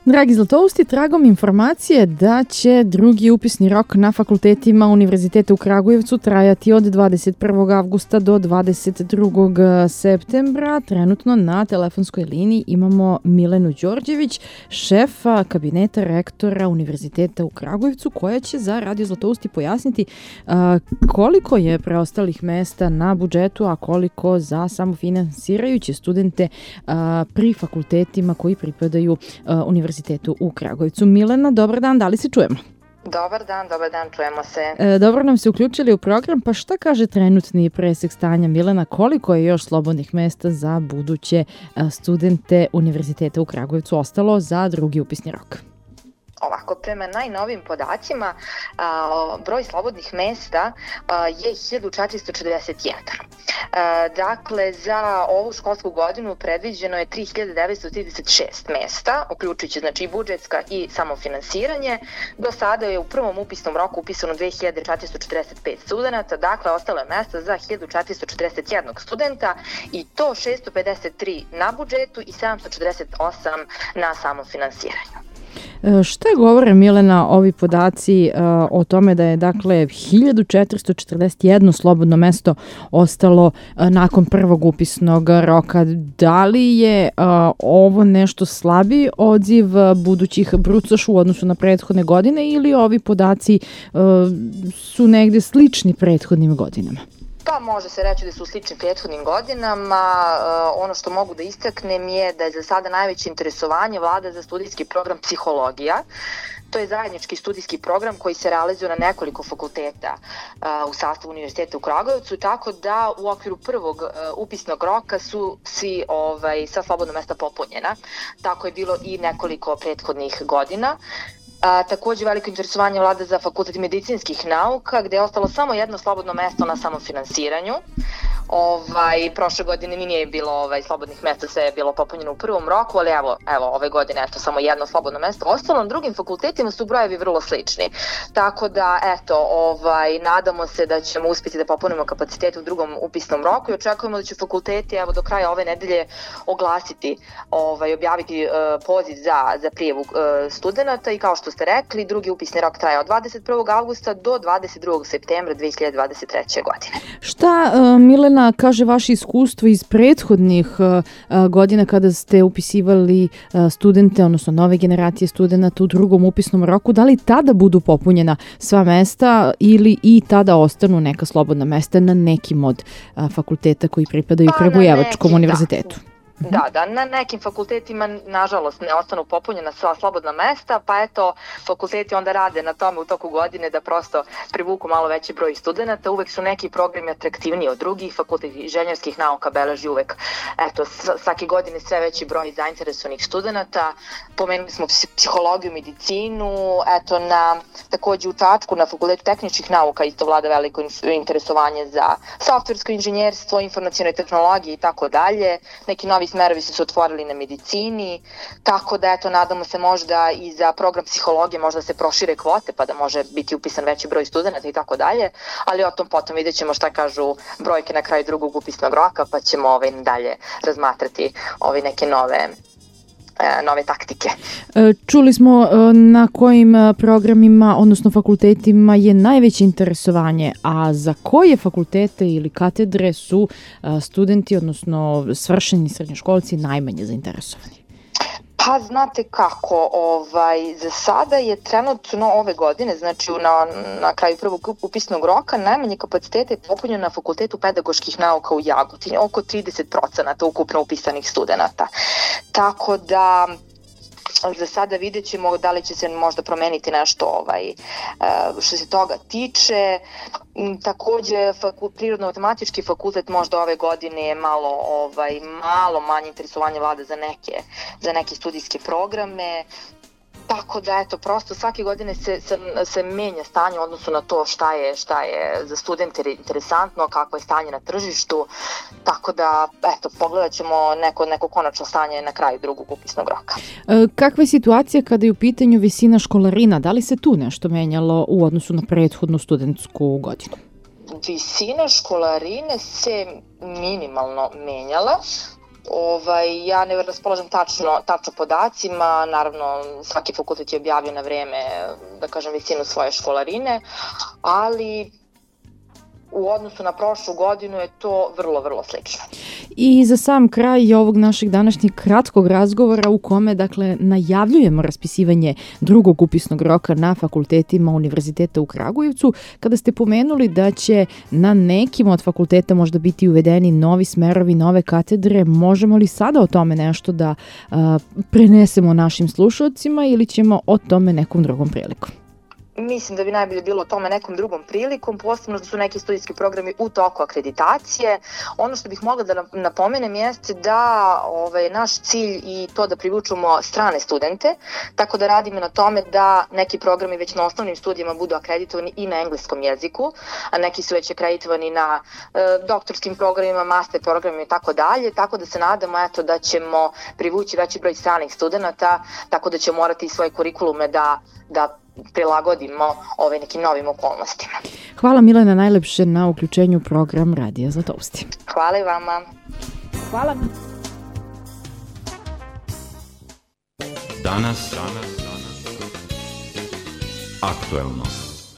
Dragi Zlatousti, tragom informacije da će drugi upisni rok na fakultetima Univerziteta u Kragujevcu trajati od 21. avgusta do 22. septembra. Trenutno na telefonskoj liniji imamo Milenu Đorđević, šefa kabineta rektora Univerziteta u Kragujevcu, koja će za Radio Zlatousti pojasniti koliko je preostalih mesta na budžetu, a koliko za samofinansirajuće studente pri fakultetima koji pripadaju Univerzitetu u Kragujevcu. Milena, dobar dan, da li se čujemo? Dobar dan, čujemo se. Dobro nam se uključili u program, pa šta kaže trenutni presek stanja, Milena, koliko je još slobodnih mesta za buduće studente Univerziteta u Kragujevcu ostalo za drugi upisni rok? Ovako, prema najnovim podacima, broj slobodnih mesta je 1441. Dakle, za ovu školsku godinu predviđeno je 3936 mesta, uključujući znači budžetska i samofinansiranje. Do sada je u prvom upisnom roku upisano 2445 studenta, dakle ostalo je mesta za 1441 studenta i to 653 na budžetu i 748 na samofinansiranju. Šta govore, Milena, ovi podaci o tome da je dakle 1441 slobodno mesto ostalo nakon prvog upisnog roka? Da li je ovo nešto slabiji odziv budućih brucoša u odnosu na prethodne godine ili ovi podaci su negde slični prethodnim godinama? Pa može se reći da su slični prethodnim godinama. Ono što mogu da istaknem je da je za sada najveće interesovanje vlada za studijski program psihologija. To je zajednički studijski program koji se realizuje na nekoliko fakulteta u sastavu Univerziteta u Kragujevcu, tako da u okviru prvog upisnog roka su sva slobodna mesta popunjena. Tako je bilo i nekoliko prethodnih godina. Takođe veliko interesovanje vlada za Fakultet medicinskih nauka, gde je ostalo samo jedno slobodno mesto na samofinansiranju. Prošle godine nije bilo slobodnih mesta, sve je bilo popunjeno u prvom roku, ali evo ove godine samo jedno slobodno mesto. Ostalo na drugim fakultetima su brojevi vrlo slični. Tako da, nadamo se da ćemo uspjeti da popunimo kapacitete u drugom upisnom roku i očekujemo da će fakulteti do kraja ove nedelje oglasiti, objaviti poziv za prijavu studenta i kao što ste rekli, drugi upisni rok traje od 21. avgusta do 22. septembra 2023. godine. Šta, Milena, kaže vaše iskustvo iz prethodnih godina kada ste upisivali studente, odnosno nove generacije studenta u drugom upisnom roku, da li tada budu popunjena sva mesta ili i tada ostanu neka slobodna mesta na nekim od fakulteta koji pripadaju Kragujevačkom univerzitetu? Da, na nekim fakultetima nažalost ne ostanu popunjena sva slobodna mesta, pa fakulteti onda rade na tome u toku godine da prosto privuku malo veći broj studenta. Uvek su neki programi atraktivniji od drugih, Fakultet inženjerskih nauka beleži uvek svake godine sve veći broj zainteresovanih studenta. Pomenuli smo psihologiju, medicinu, takođe u Čačku na Fakultetu tehničkih nauka isto vlada veliko interesovanje za softversko inženjerstvo, informacione tehnologije i tako dalje. Neki novi smerovi su se otvorili na medicini, tako da nadamo se možda i za program psihologije možda se prošire kvote pa da može biti upisan veći broj studenta i tako dalje, ali o tom potom vidjet ćemo šta kažu brojke na kraju drugog upisnog roka pa ćemo dalje razmatrati neke nove taktike. Čuli smo na kojim programima, odnosno fakultetima je najveće interesovanje, a za koje fakultete ili katedre su studenti, odnosno svršeni srednjoškolci najmanje zainteresovani? Pa znate kako, za sada je trenutno ove godine, znači na kraju prvog upisnog roka, najmanje kapacitete je popunjeno na Fakultetu pedagoških nauka u Jagodini, oko 30% ukupno upisanih studenta. Tako da za sada vidjet ćemo da li će se možda promeniti nešto što se toga tiče. Takođe, Prirodno-matematički fakultet možda ove godine je malo manje interesovanje vlada za neke studijske programe. Tako da, prosto svake godine se menja stanje u odnosu na to šta je za studente interesantno, kako je stanje na tržištu, tako da, pogledat ćemo neko konačno stanje na kraju drugog upisnog roka. Kakva je situacija kada je u pitanju visina školarina? Da li se tu nešto menjalo u odnosu na prethodnu studentsku godinu? Visina školarine se minimalno menjala. Ja ne raspolažem tačno podacima, naravno svaki fakultet je objavio na vreme, da kažem, visinu svoje školarine, ali u odnosu na prošlu godinu je to vrlo, vrlo slično. I za sam kraj ovog našeg današnjeg kratkog razgovora u kome, dakle, najavljujemo raspisivanje drugog upisnog roka na fakultetima Univerziteta u Kragujevcu, kada ste pomenuli da će na nekim od fakulteta možda biti uvedeni novi smerovi, nove katedre, možemo li sada o tome nešto da prenesemo našim slušalcima ili ćemo o tome nekom drugom prilikom? Mislim da bi najbolje bilo o tome nekom drugom prilikom, posebno da su neki studijski programi u toku akreditacije. Ono što bih mogla da napomenem jeste da naš cilj i to da privučemo strane studente, tako da radimo na tome da neki programi već na osnovnim studijama budu akreditovani i na engleskom jeziku, a neki su već akreditovani na doktorskim programima, master programima i tako dalje, tako da se nadamo da ćemo privući veći broj stranih studenata, tako da ćemo morati svoje kurikulume da prilagodimo nekim novim okolnostima. Hvala Milena najlepše na uključenju u program Radija Zlatousti. Hvala i vama. Hvala. Danas aktuelno.